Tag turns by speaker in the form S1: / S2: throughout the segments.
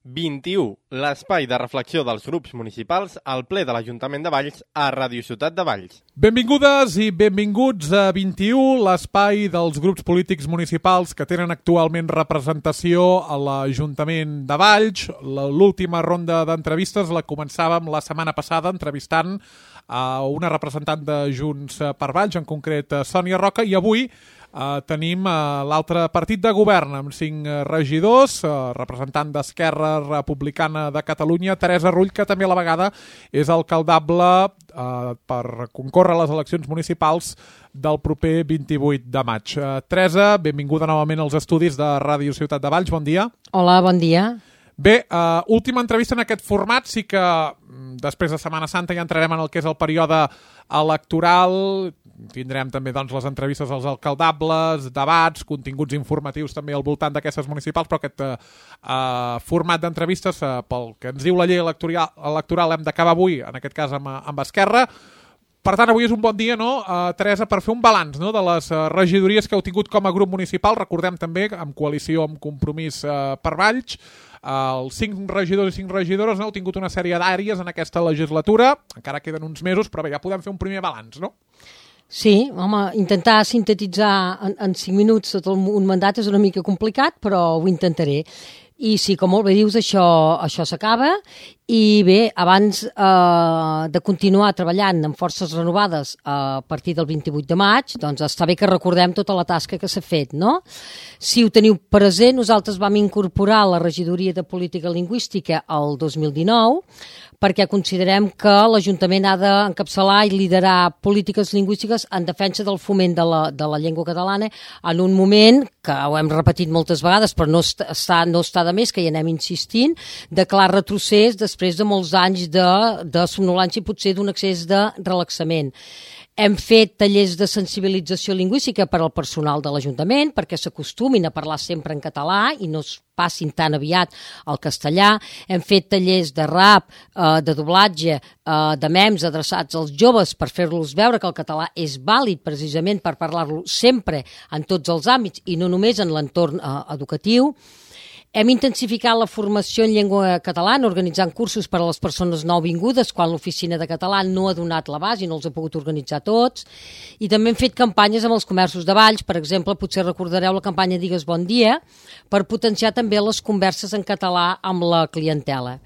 S1: 21, l'espai de reflexió dels grups municipals al ple de l'Ajuntament de Valls a Ràdio Ciutat de Valls.
S2: Benvingudes i benvinguts a 21, l'espai dels grups polítics municipals que tenen actualment representació a l'Ajuntament de Valls. L'última ronda d'entrevistes la començàvem la setmana passada entrevistant a una representant de Junts per Valls, en concret Sònia Roca, i avui tenim l'altre partit de govern amb 5 regidors, representant d'Esquerra Republicana de Catalunya, Teresa Rull, que també a la vegada és alcaldable per concórrer a les eleccions municipals del proper 28 de maig. Teresa, benvinguda novament als estudis de Ràdio Ciutat de Valls, bon dia.
S3: Hola, bon dia.
S2: Bé, última entrevista en aquest format, sí que després de Setmana Santa ja entrarem en el que és el període electoral. Tindrem també les entrevistes als alcaldables, debats, continguts informatius també al voltant d'aquestes municipals, però aquest format d'entrevistes, pel que ens diu la llei electoral, hem d'acabar avui, en aquest cas amb Esquerra. Per tant, avui és un bon dia, no, Teresa, per fer un balanç de les regidories que heu tingut com a grup municipal. Recordem també, en coalició amb Compromís per Valls, els 5 regidors i 5 regidores heu tingut una sèrie d'àrees en aquesta legislatura. Encara queden uns mesos, però bé, ja podem fer un primer balanç, no?
S3: Sí, home, intentar sintetitzar en 5 minuts tot un mandat és una mica complicat, però ho intentaré. I sí, com molt bé dius, això s'acaba. I bé, abans de continuar treballant amb forces renovades a partir del 28 de maig, doncs està bé que recordem tota la tasca que s'ha fet, no? Si ho teniu present, nosaltres vam incorporar la regidoria de política lingüística el 2019, perquè considerem que l'Ajuntament ha d'encapçalar i liderar polítiques lingüístiques en defensa del foment de la llengua catalana en un moment, que ho hem repetit moltes vegades, però no està de més, que hi anem insistint, de clar retrocés després de molts anys de somnolància i potser d'un excés de relaxament. Hem fet tallers de sensibilització lingüística per al personal de l'Ajuntament perquè s'acostumin a parlar sempre en català i no es passin tan aviat al castellà. Hem fet tallers de rap, de doblatge, de memes adreçats als joves per fer-los veure que el català és vàlid precisament per parlar-lo sempre en tots els àmbits i no només en l'entorn educatiu. Hem intensificat la formació en llengua catalana organitzant cursos per a les persones nouvingudes quan l'oficina de català no ha donat l'abast i no els ha pogut organitzar tots. I també hem fet campanyes amb els comerços de Valls, per exemple, potser recordareu la campanya Digues Bon Dia, per potenciar també les converses en català amb la clientela.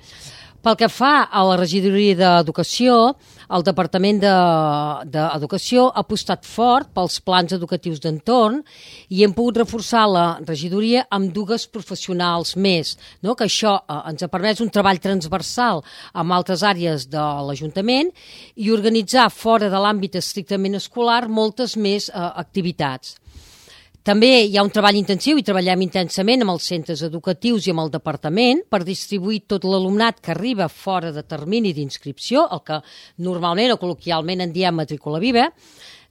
S3: Pel que fa a la regidoria d'Educació, el Departament d'Educació ha apostat fort pels plans educatius d'entorn i hem pogut reforçar la regidoria amb 2 professionals més, no? Que això ens ha permès un treball transversal amb altres àrees de l'Ajuntament i organitzar fora de l'àmbit estrictament escolar moltes més activitats. També hi ha un treball intensiu i treballem intensament amb els centres educatius i amb el departament per distribuir tot l'alumnat que arriba fora de termini d'inscripció, el que normalment o col·loquialment en diem matrícula viva,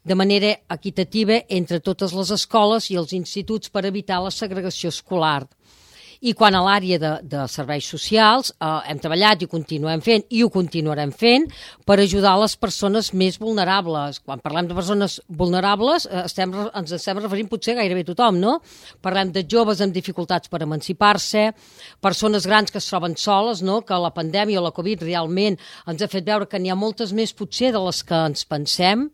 S3: de manera equitativa entre totes les escoles i els instituts per evitar la segregació escolar. I quan a l'àrea de serveis socials hem treballat i ho continuem fent i ho continuarem fent per ajudar les persones més vulnerables. Quan parlem de persones vulnerables ens estem referint potser gairebé a tothom, no? Parlem de joves amb dificultats per emancipar-se, persones grans que es troben soles, no? Que la pandèmia o la Covid realment ens ha fet veure que n'hi ha moltes més potser de les que ens pensem,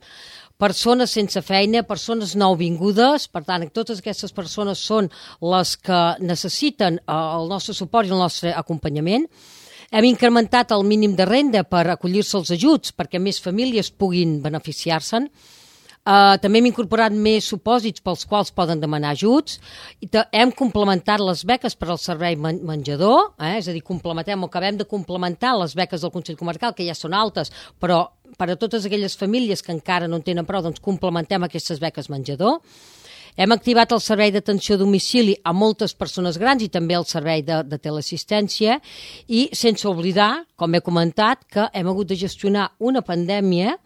S3: persones sense feina, persones nouvingudes. Per tant, totes aquestes persones són les que necessiten el nostre suport i el nostre acompanyament. Hem incrementat el mínim de renda per acollir-se als ajuts perquè més famílies puguin beneficiar-se'n. També hem incorporat més supòsits pels quals poden demanar ajuts. Hem complementat les beques per al servei menjador, és a dir, acabem de complementar les beques del Consell Comarcal, que ja són altes, però per a totes aquelles famílies que encara no en tenen prou, doncs complementem aquestes beques menjador. Hem activat el servei d'atenció a domicili a moltes persones grans i també el servei de teleassistència i sense oblidar, com he comentat, que hem hagut de gestionar una pandèmia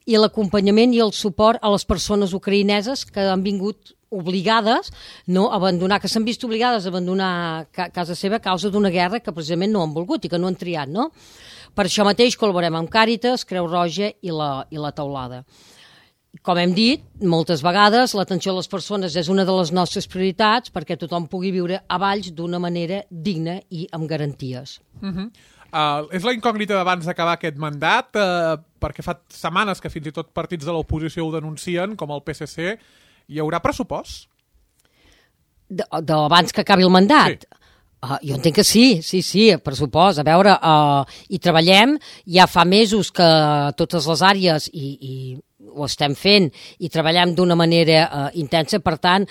S3: i l'acompanyament i el suport a les persones ucraïneses que han vingut obligades a abandonar, que s'han vist obligades a abandonar casa seva a causa d'una guerra que precisament no han volgut i que no han triat, no? Per això mateix col·laborem amb Càritas, Creu Roja i la Teulada. Com hem dit, moltes vegades l'atenció a les persones és una de les nostres prioritats perquè tothom pugui viure a Valls d'una manera digna i amb garanties.
S2: És la incògnita d'abans d'acabar aquest mandat, perquè fa setmanes que fins i tot partits de l'oposició ho denuncien, com el PSC. Hi haurà pressupost?
S3: D'abans que acabi el mandat? Sí. Jo entenc que sí, pressupost. A veure, hi treballem, ja fa mesos que totes les àrees i ho estem fent i treballem d'una manera intensa, per tant,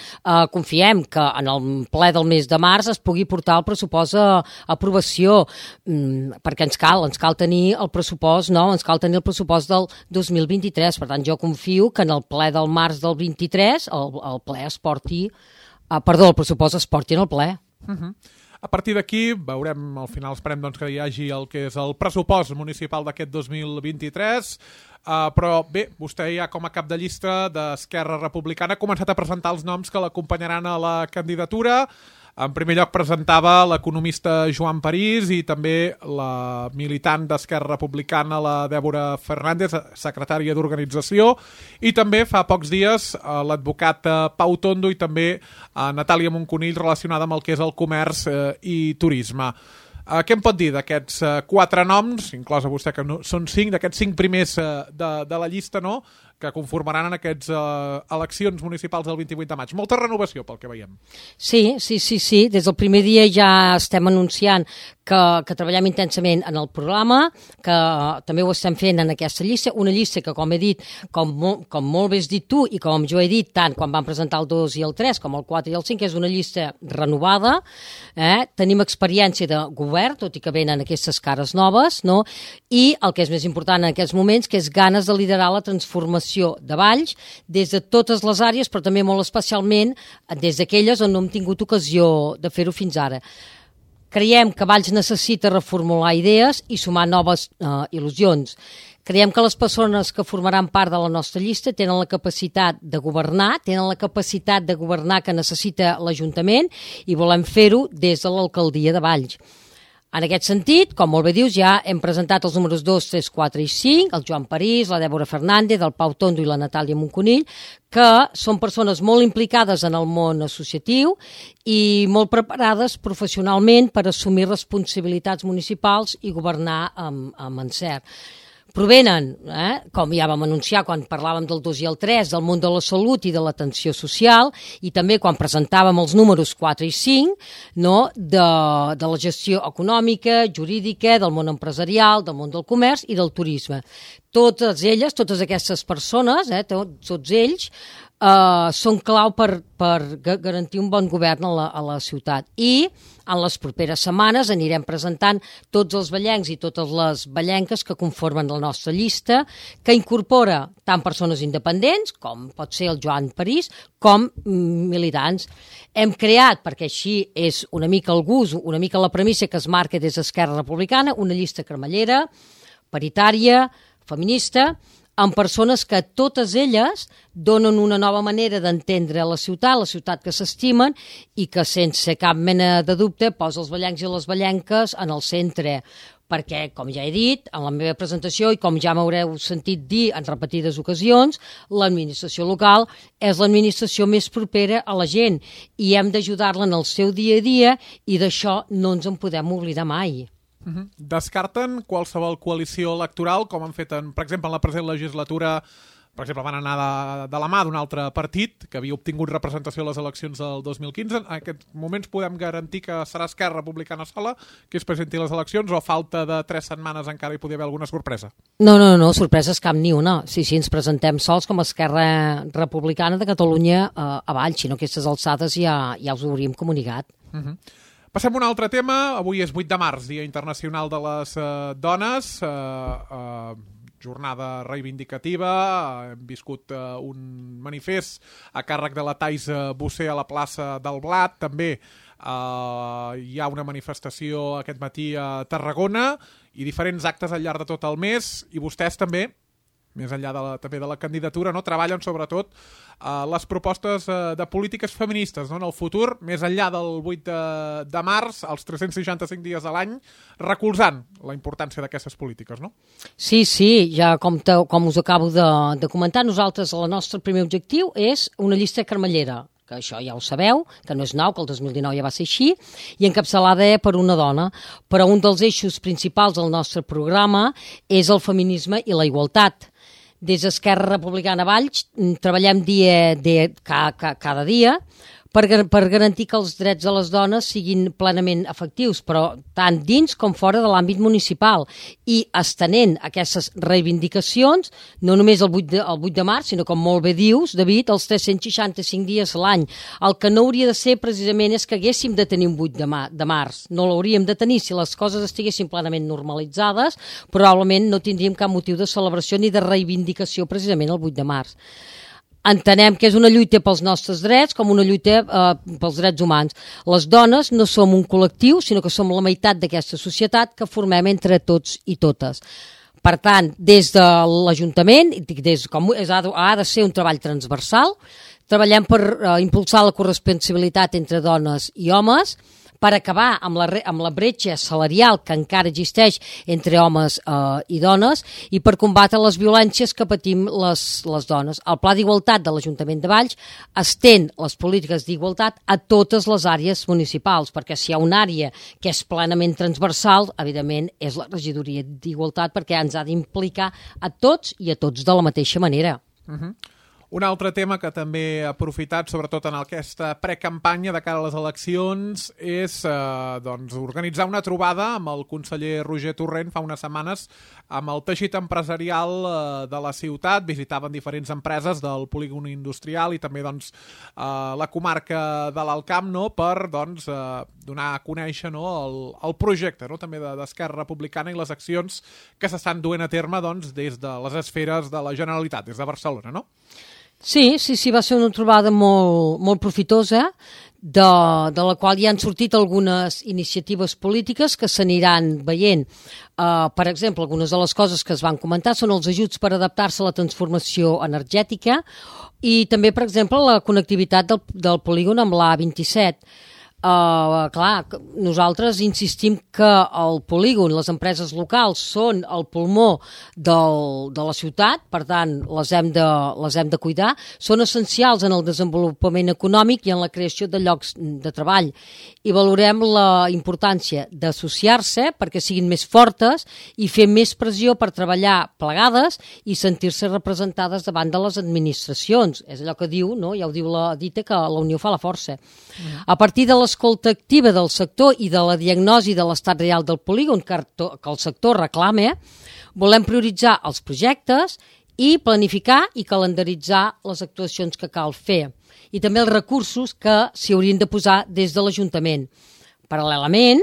S3: confiem que en el ple del mes de març es pugui portar el pressupost a aprovació, perquè ens cal tenir el pressupost, no? Ens cal tenir el pressupost del 2023, per tant, jo confio que en el ple del març del 23 el pressupost es porti en el ple.
S2: A partir d'aquí, veurem, al final esperem doncs, que hi hagi el que és el pressupost municipal d'aquest 2023, però bé, vostè ja com a cap de llista d'Esquerra Republicana ha començat a presentar els noms que l'acompanyaran a la candidatura. En primer lloc presentava l'economista Joan París i també la militant d'Esquerra Republicana, la Dèbora Fernández, secretària d'organització, i també fa pocs dies l'advocat Pau Tondo i també Natàlia Monconill, relacionada amb el que és el comerç i turisme. Què em pot dir d'aquests 4 noms, inclosa vostè que són 5, d'aquests 5 primers de la llista, no?, que conformaran en aquestes eleccions municipals del 28 de maig. Molta renovació, pel que veiem.
S3: Sí. Des del primer dia ja estem anunciant que treballem intensament en el programa, que també ho estem fent en aquesta llista, una llista que, com he dit, com molt bé has dit tu i com jo he dit tant quan vam presentar el 2 i el 3 com el 4 i el 5, és una llista renovada. Tenim experiència de govern, tot i que venen aquestes cares noves, no? I el que és més important en aquests moments, que és ganes de liderar la transformació de Valls des de totes les àrees, però també molt especialment des d'aquelles on no hem tingut ocasió de fer-ho fins ara. Creiem que Valls necessita reformular idees i sumar noves il·lusions. Creiem que les persones que formaran part de la nostra llista tenen la capacitat de governar, que necessita l'Ajuntament, i volem fer-ho des de l'alcaldia de Valls. En aquest sentit, com molt bé dius, ja hem presentat els números 2, 3, 4 i 5, el Joan París, la Dèbora Fernández, el Pau Tondo i la Natàlia Monconill, que són persones molt implicades en el món associatiu i molt preparades professionalment per assumir responsabilitats municipals i governar amb encert. Provenen, com ja vam anunciar quan parlàvem del 2 i el 3, del món de la salut i de l'atenció social, i també quan presentàvem els números 4 i 5, no, de la gestió econòmica, jurídica, del món empresarial, del món del comerç i del turisme. Totes elles, totes aquestes persones, tots ells, són clau per garantir un bon govern a la ciutat. I en les properes setmanes anirem presentant tots els vallencs i totes les vallenques que conformen la nostra llista, que incorpora tant persones independents, com pot ser el Joan París, com militants. Hem creat, perquè així és una mica el gust, una mica la premissa que es marca des d'Esquerra Republicana, una llista cremallera, paritària, feminista, amb persones que totes elles donen una nova manera d'entendre la ciutat que s'estimen i que sense cap mena de dubte posa els vallencs i les vallenques en el centre. Perquè, com ja he dit en la meva presentació i com ja m'haureu sentit dir en repetides ocasions, l'administració local és l'administració més propera a la gent i hem d'ajudar-la en el seu dia a dia i d'això no ens en podem oblidar mai.
S2: Descarten qualsevol coalició electoral, com han fet, per exemple, en la present legislatura, per exemple, van anar de la mà d'un altre partit que havia obtingut representació a les eleccions del 2015. En aquests moments podem garantir que serà Esquerra Republicana sola que es presenti a les eleccions, o a falta de 3 setmanes encara hi podria haver alguna sorpresa?
S3: No, sorpreses cap ni una. Sí, ens presentem sols com a Esquerra Republicana de Catalunya a Valls, sinó que aquestes alçades ja us ho hauríem comunicat.
S2: Passem a un altre tema. Avui és 8 de març, Dia Internacional de les Dones, jornada reivindicativa. Hem viscut un manifest a càrrec de la Thais Bossé a la plaça del Blat. També hi ha una manifestació aquest matí a Tarragona i diferents actes al llarg de tot el mes. I vostès també més enllà també de la candidatura, no? Treballen sobretot les propostes de polítiques feministes, no? En el futur, més enllà del 8 de març, els 365 dies a l'any, recolzant la importància d'aquestes polítiques, no?
S3: Sí, ja com us acabo de comentar, nosaltres el nostre primer objectiu és una llista carmellera, que això ja ho sabeu, que no és nou, que el 2019 ja va ser així, i encapçalada per una dona. Però un dels eixos principals del nostre programa és el feminisme i la igualtat. Des d'Esquerra Republicana Valls treballem cada dia per garantir que els drets de les dones siguin plenament efectius, però tant dins com fora de l'àmbit municipal, i estenent aquestes reivindicacions no només el 8 de març, sinó, com molt bé dius, David, els 365 dies a l'any. El que no hauria de ser precisament és que haguéssim de tenir un 8 de març. No l'hauríem de tenir. Si les coses estiguessin plenament normalitzades, probablement no tindríem cap motiu de celebració ni de reivindicació precisament el 8 de març. Entenem que és una lluita pels nostres drets com una lluita pels drets humans. Les dones no som un col·lectiu, sinó que som la meitat d'aquesta societat que formem entre tots i totes. Per tant, des de l'Ajuntament, ha de ser un treball transversal, treballem per impulsar la corresponsabilitat entre dones i homes, per acabar amb la bretxa salarial que encara existeix entre homes i dones i per combatre les violències que patim les dones. El Pla d'Igualtat de l'Ajuntament de Valls estén les polítiques d'igualtat a totes les àrees municipals, perquè si hi ha una àrea que és plenament transversal, evidentment és la regidoria d'Igualtat, perquè ens ha d'implicar a tots i a tots de la mateixa manera.
S2: Un altre tema que també he aprofitat, sobretot en aquesta precampanya de cara a les eleccions, és organitzar una trobada amb el conseller Roger Torrent fa unes setmanes amb el teixit empresarial de la ciutat. Visitaven diferents empreses del polígon industrial i també la comarca de l'Alt Camp, no? Per donar a conèixer, no? el projecte, no? També d'Esquerra Republicana i les accions que s'estan duent a terme des de les esferes de la Generalitat, des de Barcelona, no?
S3: Sí, va ser una trobada molt profitosa, de la qual ja han sortit algunes iniciatives polítiques que s'aniran veient. Per exemple, algunes de les coses que es van comentar són els ajuts per adaptar-se a la transformació energètica i també, per exemple, la connectivitat del polígon amb l'A27. Clar, nosaltres insistim que el polígon, les empreses locals són el pulmó de la ciutat, per tant les hem de cuidar, són essencials en el desenvolupament econòmic i en la creació de llocs de treball i valorem la importància d'associar-se perquè siguin més fortes i fer més pressió per treballar plegades i sentir-se representades davant de les administracions. És allò que diu, no? Ja ho diu la dita, que la unió fa la força. A partir de l'escolta activa del sector i de la diagnosi de l'estat real del polígon que el sector reclama, volem prioritzar els projectes i planificar i calendaritzar les actuacions que cal fer i també els recursos que s'hi haurien de posar des de l'Ajuntament. Paral·lelament,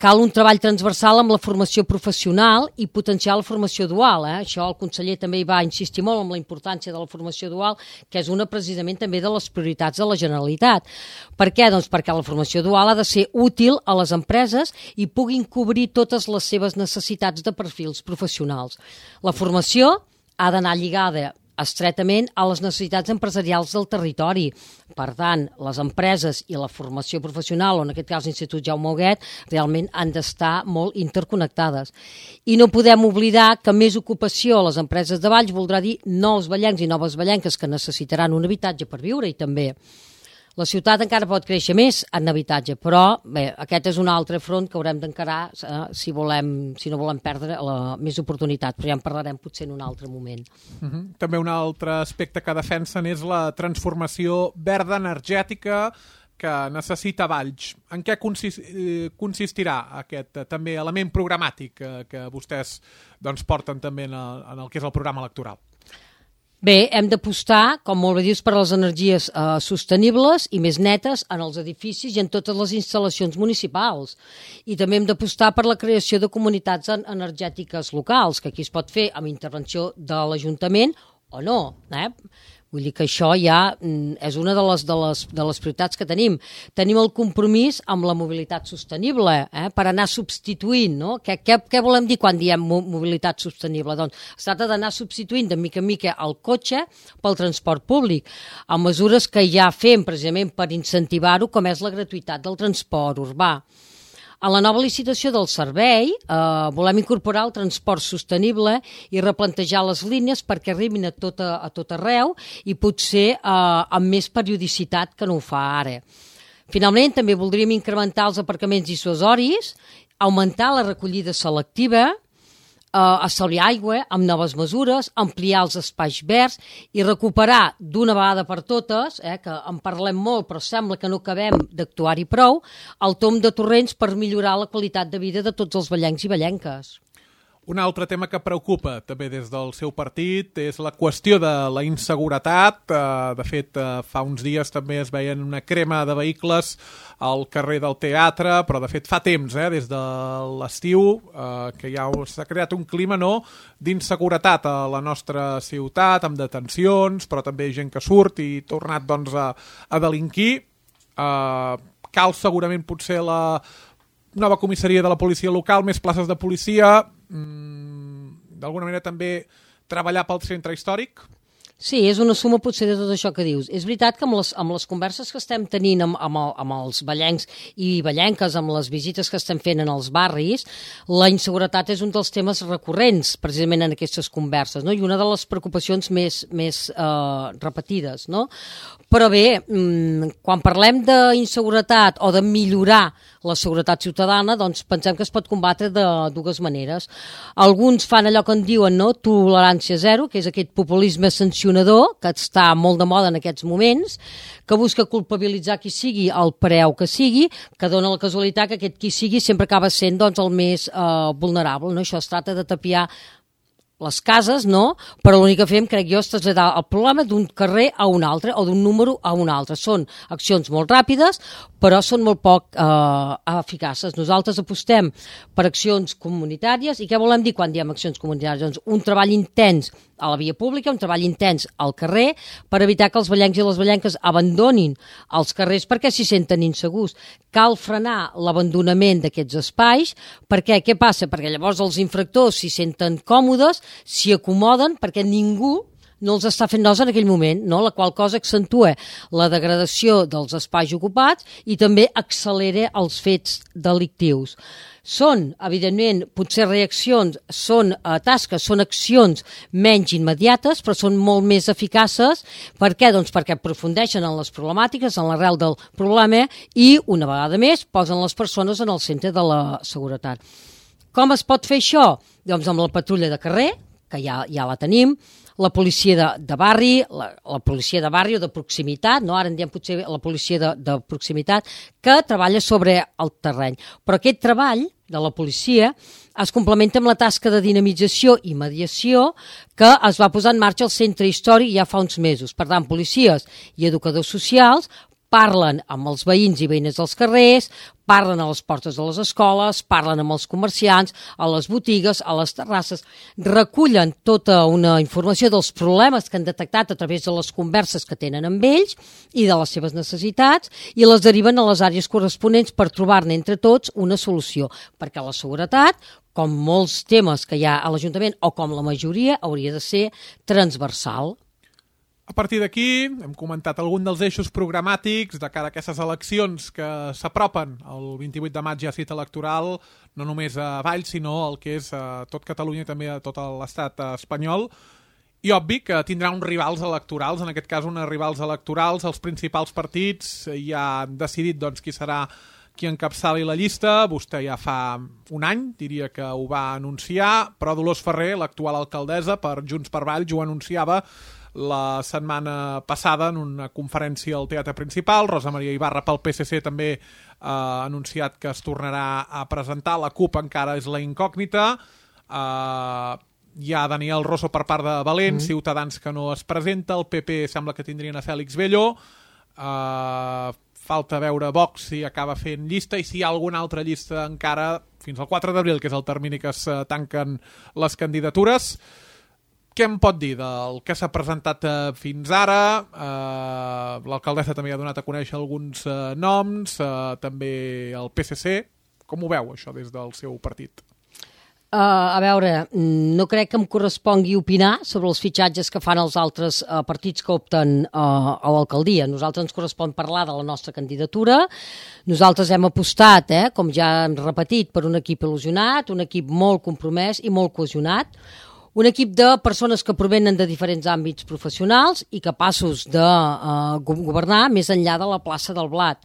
S3: cal un treball transversal amb la formació professional i potenciar la formació dual. Això el conseller també hi va insistir molt amb la importància de la formació dual, que és una precisament també de les prioritats de la Generalitat. Per què? Doncs perquè la formació dual ha de ser útil a les empreses i puguin cobrir totes les seves necessitats de perfils professionals. La formació ha d'anar lligada estretament a les necessitats empresarials del territori. Per tant, les empreses i la formació professional, o en aquest cas l'Institut Jaume Huguet, realment han d'estar molt interconnectades. I no podem oblidar que més ocupació a les empreses de Valls voldrà dir nous vallencs i noves vallenques que necessitaran un habitatge per viure i també la ciutat encara pot créixer més en habitatge, però bé, aquest és un altre front que haurem d'encarar si no volem perdre més oportunitats, però ja en parlarem potser en un altre moment.
S2: També un altre aspecte que defensen és la transformació verda energètica que necessita Valls. En què consistirà aquest també element programàtic que vostès porten també en el que és el programa electoral?
S3: Bé, hem d'apostar, com molt bé dius, per les energies sostenibles i més netes en els edificis i en totes les instal·lacions municipals. I també hem d'apostar per la creació de comunitats energètiques locals, que aquí es pot fer amb intervenció de l'Ajuntament o no. Vull dir que això ja és una de les prioritats que tenim. Tenim el compromís amb la mobilitat sostenible, per anar substituint, no? Què volem dir quan diem mobilitat sostenible? Doncs es tracta d'anar substituint de mica en mica el cotxe pel transport públic, amb mesures que ja fem precisament per incentivar-ho, com és la gratuïtat del transport urbà. En la nova licitació del servei volem incorporar el transport sostenible i replantejar les línies perquè arribin a tot arreu i potser amb més periodicitat que no ho fa ara. Finalment, també voldríem incrementar els aparcaments dissuasoris, augmentar la recollida selectiva, estalviar aigua amb noves mesures, ampliar els espais verds i recuperar d'una vegada per totes, que en parlem molt però sembla que no acabem d'actuar-hi prou, el tomb de torrents per millorar la qualitat de vida de tots els vallencs i vallenques.
S2: Un altre tema que preocupa també des del seu partit és la qüestió de la inseguretat. De fet, fa uns dies també es veien una crema de vehicles al carrer del Teatre, però de fet fa temps, des de l'estiu, que ja s'ha creat un clima d'inseguretat a la nostra ciutat, amb detencions, però també gent que surt i tornat a delinquir. Cal segurament potser la nova comissaria de la policia local, més places de policia, d'alguna manera també treballar pel centre històric?
S3: Sí, és una suma potser de tot això que dius. És veritat que amb les converses que estem tenint amb els vallencs i vallenques, amb les visites que estem fent en els barris, la inseguretat és un dels temes recurrents precisament en aquestes converses, no? I una de les preocupacions més repetides, no? Però bé, quan parlem d'inseguretat o de millorar la seguretat ciutadana, doncs pensem que es pot combatre de dues maneres. Alguns fan allò que en diuen, no?, tolerància zero, que és aquest populisme sancionador, que està molt de moda en aquests moments, que busca culpabilitzar qui sigui al preu que sigui, que dona la casualitat que aquest qui sigui sempre acaba sent el més vulnerable, no? Això es tracta de tapiar les cases, no? Però l'únic que fem, crec jo, és traslladar el problema d'un carrer a un altre o d'un número a un altre. Són accions molt ràpides, però són molt poc eficaces. Nosaltres apostem per accions comunitàries. I què volem dir quan diem accions comunitàries? Doncs un treball intens a la via pública, un treball intens al carrer, per evitar que els vallencs i les vallenques abandonin els carrers perquè s'hi senten insegurs. Cal frenar l'abandonament d'aquests espais, perquè què passa? Perquè llavors els infractors s'hi senten còmodes, s'hi acomoden, perquè ningú no els està fent nosa en aquell moment, no? La qual cosa accentua la degradació dels espais ocupats i també accelera els fets delictius. Són, evidentment, potser reaccions, són tasques, són accions menys immediates, però són molt més eficaces. Per què? Doncs perquè aprofundeixen en les problemàtiques, en l'arrel del problema i, una vegada més, posen les persones en el centre de la seguretat. Com es pot fer això? Doncs amb la patrulla de carrer, que ja la tenim, la policia de barri, la policia de barri o de proximitat, no? Ara en diem potser la policia de proximitat, que treballa sobre el terreny. Però aquest treball de la policia es complementa amb la tasca de dinamització i mediació que es va posar en marxa al centre històric ja fa uns mesos. Per tant, policies i educadors socials parlen amb els veïns i veïnes dels carrers, parlen a les portes de les escoles, parlen amb els comerciants, a les botigues, a les terrasses, recullen tota una informació dels problemes que han detectat a través de les converses que tenen amb ells i de les seves necessitats i les deriven a les àrees corresponents per trobar-ne entre tots una solució, perquè la seguretat, com molts temes que hi ha a l'Ajuntament o com la majoria, hauria de ser transversal.
S2: A partir d'aquí, hem comentat algun dels eixos programàtics de cara a aquestes eleccions que s'apropen. El 28 de maig hi ha cita electoral, no només a Valls, sinó el que és a tot Catalunya i també a tot l'estat espanyol. I obvi que tindrà uns rivals electorals, en aquest cas uns rivals electorals. Els principals partits ja han decidit qui serà qui encapçali la llista. Vostè ja fa un any, diria que ho va anunciar, però Dolors Ferrer, l'actual alcaldessa per Junts per Valls, ho anunciava la setmana passada en una conferència al Teatre Principal. Rosa Maria Ibarra pel PSC també ha anunciat que es tornarà a presentar. La CUP encara és la incògnita. Hi ha Daniel Rosso per part de Valents, Ciutadans que no es presenta, el PP sembla que tindrien a Fèlix Bello. Falta veure Vox si acaba fent llista i si hi ha alguna altra llista encara fins al 4 d'abril, que és el termini que es tanquen les candidatures. Què em pot dir del que s'ha presentat fins ara? L'alcaldessa també ha donat a conèixer alguns noms, també el PSC. Com ho veu, això, des del seu partit?
S3: A veure, no crec que em correspongui opinar sobre els fitxatges que fan els altres partits que opten a l'alcaldia. A nosaltres ens correspon parlar de la nostra candidatura. Nosaltres hem apostat, com ja hem repetit, per un equip il·lusionat, un equip molt compromès i molt cohesionat, un equip de persones que provenen de diferents àmbits professionals i capaços de governar més enllà de la plaça del Blat.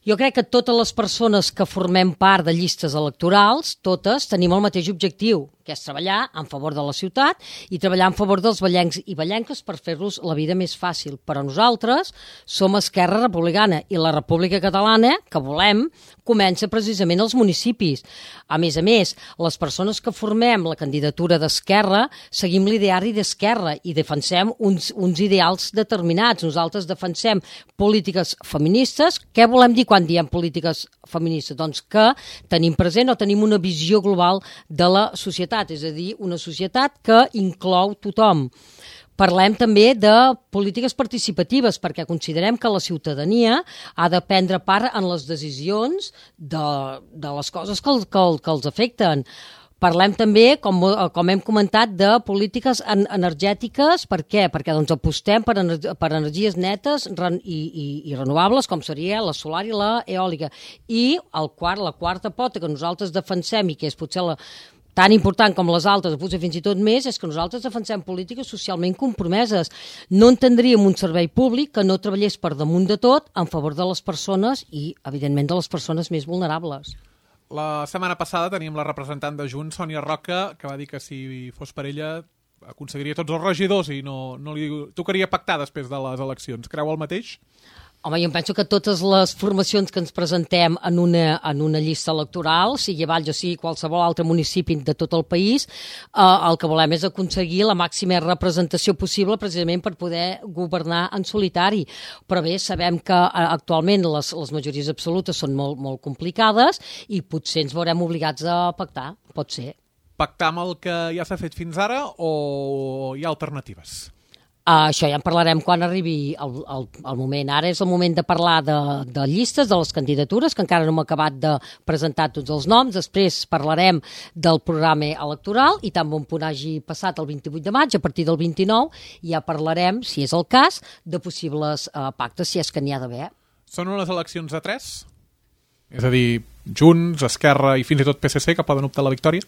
S3: Jo crec que totes les persones que formem part de llistes electorals, totes tenim el mateix objectiu, que és treballar en favor de la ciutat i treballar en favor dels vallencs i vallenques per fer-los la vida més fàcil. Però nosaltres som Esquerra Republicana i la República Catalana, que volem, comença precisament als municipis. A més, les persones que formem la candidatura d'Esquerra seguim l'ideari d'Esquerra i defensem uns ideals determinats. Nosaltres defensem polítiques feministes. Què volem dir quan diem polítiques feministes? Doncs que tenim present o tenim una visió global de la societat, és a dir, una societat que inclou tothom. Parlem també de polítiques participatives perquè considerem que la ciutadania ha de prendre part en les decisions de les coses que els afecten. Parlem també, com hem comentat, de polítiques energètiques. Per què? Perquè apostem per energies netes i renovables, com seria la solar i la eòlica. I la quarta pota que nosaltres defensem i que és potser tan important com les altres, potser fins i tot més, és que nosaltres defensem polítiques socialment compromeses. No entendríem un servei públic que no treballés per damunt de tot en favor de les persones i, evidentment, de les persones més vulnerables.
S2: La setmana passada teníem la representant de Junts, Sònia Roca, que va dir que si fos per ella aconseguiria tots els regidors i no li tocaria pactar després de les eleccions. Creu el mateix?
S3: Home, jo penso que totes les formacions que ens presentem en una llista electoral, sigui a Valls o sigui qualsevol altre municipi de tot el país, el que volem és aconseguir la màxima representació possible precisament per poder governar en solitari. Però bé, sabem que actualment les majories absolutes són molt, molt complicades i potser ens veurem obligats a pactar, pot ser.
S2: Pactar amb el que ja s'ha fet fins ara o hi ha alternatives?
S3: Això ja en parlarem quan arribi el moment. Ara és el moment de parlar de llistes, de les candidatures, que encara no hem acabat de presentar tots els noms. Després parlarem del programa electoral i tan bon punt hagi passat el 28 de maig, a partir del 29, ja parlarem, si és el cas, de possibles pactes, si és que n'hi ha d'haver.
S2: Són unes eleccions de 3? És a dir, Junts, Esquerra i fins i tot PSC que poden optar a la victòria?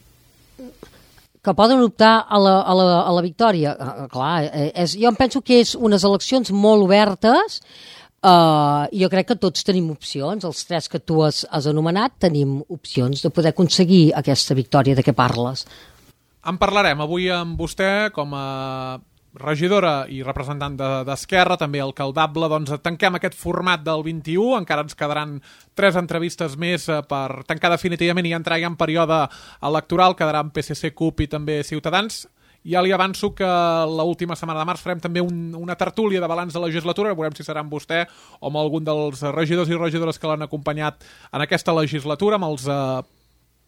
S3: Que poden optar a la victòria. Clar, jo em penso que és unes eleccions molt obertes. Jo crec que tots tenim opcions, els tres que tu has anomenat tenim opcions de poder aconseguir aquesta victòria de què parles.
S2: En parlarem avui amb vostè com a regidora i representant d'Esquerra, també alcaldable. Doncs tanquem aquest format del 21, encara ens quedaran 3 entrevistes més per tancar definitivament i entrar ja en període electoral, quedaran PSC, CUP i també Ciutadans. Ja li avanço que l'última setmana de març farem també una tertúlia de balanç de legislatura, veurem si serà amb vostè o amb algun dels regidors i regidores que l'han acompanyat en aquesta legislatura, amb els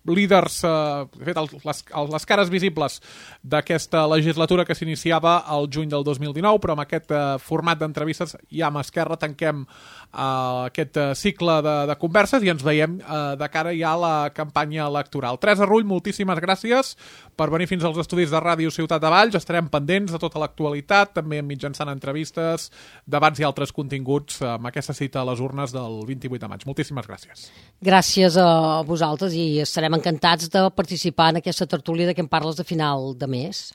S2: líders, de fet, les cares visibles d'aquesta legislatura que s'iniciava al juny del 2019, però amb aquest format d'entrevistes ja amb Esquerra tanquem aquest cicle de converses i ens veiem de cara ja a la campanya electoral. Teresa Rull, moltíssimes gràcies per venir fins als estudis de Ràdio Ciutat de Valls. Estarem pendents de tota l'actualitat, també mitjançant entrevistes, debats i altres continguts amb aquesta cita a les urnes del 28 de maig. Moltíssimes gràcies.
S3: Gràcies a vosaltres i estarem encantats de participar en aquesta tertúlia de què em parles de final de mes.